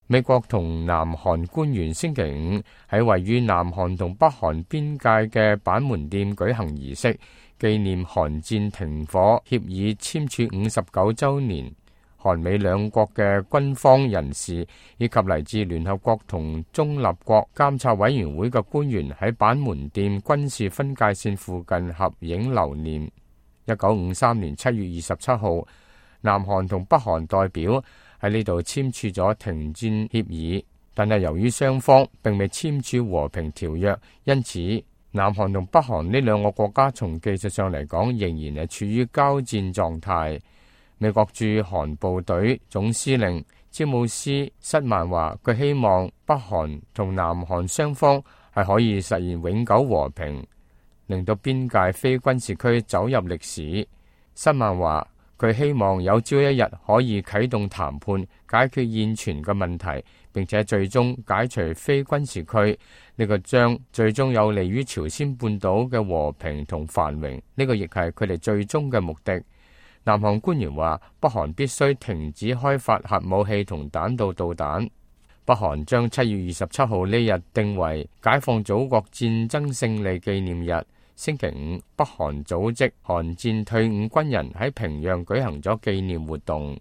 美國同南韓官員星期五喺位於南韓同北韓邊界嘅板門店舉行儀式，紀念韓戰停火協議簽署59週年。韓美兩國嘅軍方人士以及嚟自聯合國同中立國監察委員會嘅官員喺板門店軍事分界線附近合影留念。1953年7月27號，南韓同北韓代表喺呢度簽署咗停戰協議，但係由於雙方並未簽署和平條約，因此南韓同北韓呢兩個國家從技術上嚟講仍然係處於交戰狀態。美國駐韓部隊總司令詹姆斯塞曼話，佢希望北韓同南韓雙方係可以實現永久和平，令到邊界非軍事區走入歷史。塞曼話，佢希望有朝一日可以啟動談判，解決現存嘅問題，並且最終解除非軍事區。呢個將最終有利於朝鮮半島嘅和平同繁榮。呢個亦係佢哋最終嘅目的。南韓官員話，北韓必須停止開發核武器同彈道導彈。北韓將7月27號呢日定為解放祖國戰爭勝利紀念日。星期五，北韓組織韓戰退伍軍人喺平壤舉行咗紀念活動。